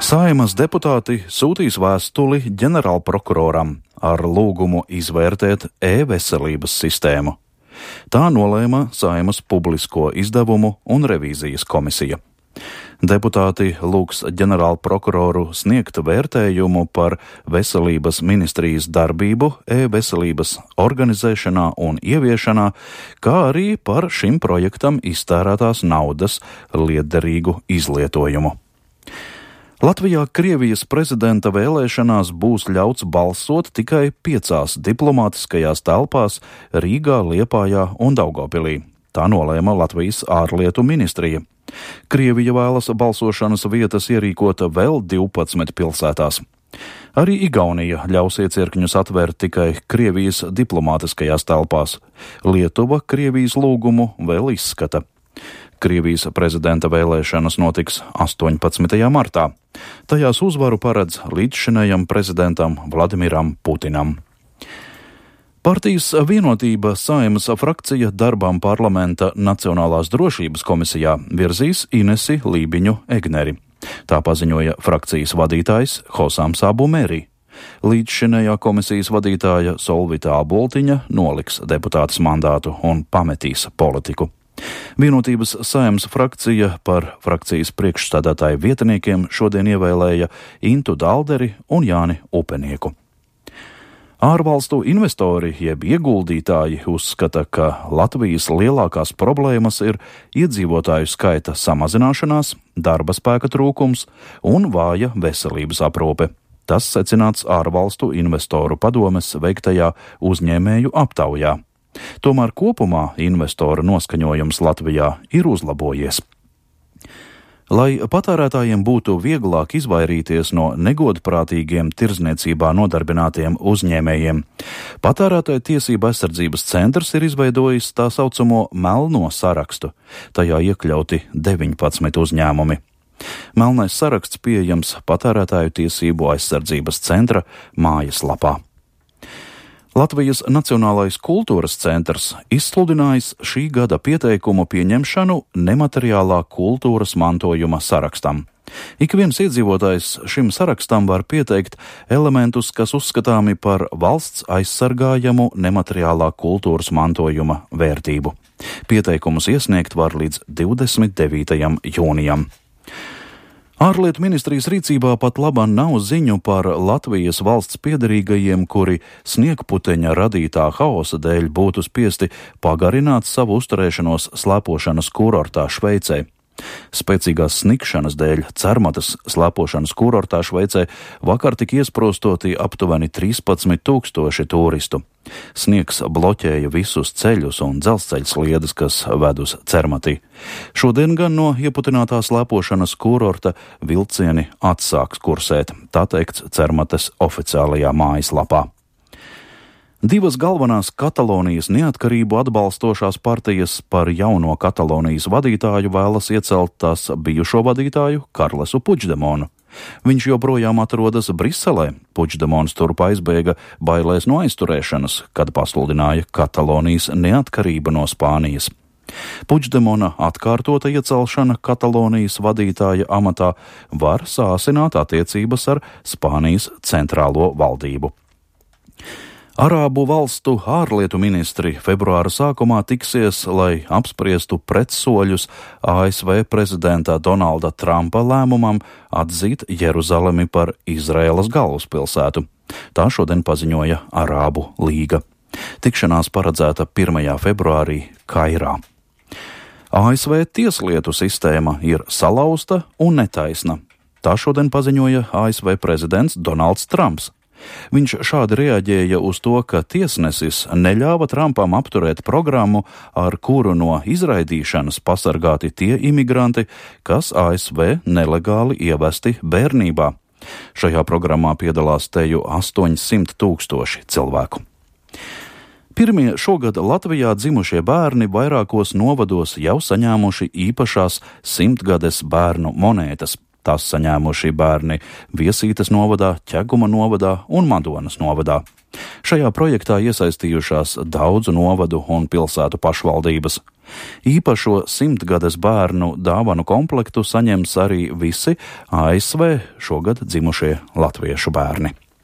Saeimas deputāti sūtīs vēstuli ģenerālprokuroram ar lūgumu izvērtēt e-veselības sistēmu. Tā nolēma Saeimas publisko izdevumu un revīzijas komisija. Deputāti lūgs ģenerālprokuroru sniegt vērtējumu par veselības ministrijas darbību e-veselības organizēšanā un ieviešanā, kā arī par šim projektam iztērētās naudas lietderīgu izlietojumu. Latvijā Krievijas prezidenta vēlēšanās būs ļauts balsot tikai 5 diplomātiskajās telpās Rīgā, Liepājā un Daugavpilī. Tā nolēma Latvijas ārlietu ministrija. Krievija vēlas balsošanas vietas ierīkot vēl 12 pilsētās. Arī Igaunija ļaus iecirkņus atvērt tikai Krievijas diplomātiskajās telpās. Lietuva Krievijas lūgumu vēl izskata. Krievijas prezidenta vēlēšanas notiks 18. martā. Tajās uzvaru paredz līdzšinējam prezidentam Vladimiram Putinam. Partijas Vienotība Saeimas frakcija darbām parlamenta Nacionālās drošības komisijā virzīs Inesi Lībiņu Egneri. Tā paziņoja frakcijas vadītājs Hosams Abu Meri. Līdzšinējā komisijas vadītāja Solvita Aboltiņa noliks deputātes mandātu un pametīs politiku. Vienotības Saeimas frakcija par frakcijas priekšstādātāju vietniekiem šodien ievēlēja Intu Dalderi un Jāni Upenieku. Ārvalstu investori jeb ieguldītāji uzskata, ka Latvijas lielākās problēmas ir iedzīvotāju skaita samazināšanās, darba spēka trūkums un vāja veselības aprūpe. Tas secināts ārvalstu investoru padomes veiktajā uzņēmēju aptaujā. Tomēr kopumā investoru noskaņojums Latvijā ir uzlabojies. Lai patērētājiem būtu vieglāk izvairīties no negodprātīgiem tirdzniecībā nodarbinātiem uzņēmējiem, Patērētāju tiesību aizsardzības centrs ir izveidojis tā saucamo melno sarakstu. Tajā iekļauti 19 uzņēmumi. Melnais saraksts pieejams Patērētāju tiesību aizsardzības centra mājaslapā. Latvijas Nacionālais kultūras centrs izsludinājis šī gada pieteikumu pieņemšanu nemateriālā kultūras mantojuma sarakstam. Ik viens iedzīvotājs šim sarakstam var pieteikt elementus, kas uzskatāmi par valsts aizsargājamu nemateriālā kultūras mantojuma vērtību. Pieteikumus iesniegt var līdz 29. jūnijam. Ārlietu ministrijas rīcībā pat labāk nav ziņu par Latvijas valsts piederīgajiem, kuri sniegputeņa radītā haosa dēļ būtu spiesti pagarināt savu uzturēšanos slēpošanas kurortā Šveicē. Spēcīgās snikšanas dēļ Cermatas slēpošanas kurortā Šveicē vakar tika iesprostoti aptuveni 13,000 turistu. Sniegs bloķēja visus ceļus un dzelzceļa sliedes, kas ved uz Cermatī. Šodien gan no ieputinātā slēpošanas kurorta vilcieni atsāks kursēt, tā teikts Cermates oficiālajā mājaslapā. 2 galvenās Katalonijas neatkarību atbalstošās partijas par jauno Katalonijas vadītāju vēlas iecelt tās bijušo vadītāju Karlesu Puigdemonu. Viņš joprojām atrodas Briselē. Puigdemons turp aizbēga bailēs no aizturēšanas, kad pasludināja Katalonijas neatkarību no Spānijas. Puigdemona atkārtota iecelšana Katalonijas vadītāja amatā var sāsināt attiecības ar Spānijas centrālo valdību. Arābu valstu ārlietu ministri februāra sākumā tiksies, lai apspriestu pretsoļus ASV prezidenta Donalda Trumpa lēmumam atzīt Jeruzalemi par Izraēlas galvaspilsētu. Tā šodien paziņoja Arābu līga. Tikšanās paredzēta 1. februārī Kairā. ASV tieslietu sistēma ir salauzta un netaisna. Tā šodien paziņoja ASV prezidents Donalds Trumps. Viņš šādi reaģēja uz to, ka tiesnesis neļāva Trumpam apturēt programmu, ar kuru no izraidīšanas pasargāti tie imigranti, kas ASV nelegāli ievesti bērnībā. Šajā programmā piedalās teju 800,000 cilvēku. Pirmie šogad Latvijā dzimušie bērni vairākos novados jau saņēmuši īpašās 100-gades bērnu monētas. Tās saņēmuši bērni Viesītes novadā, Ķeguma novadā un Madonas novadā. Šajā projektā iesaistījušās daudzu novadu un pilsētu pašvaldības. Īpašo 100-gades bērnu dāvanu komplektu saņems arī visi ASV šogad dzimušie latviešu bērni.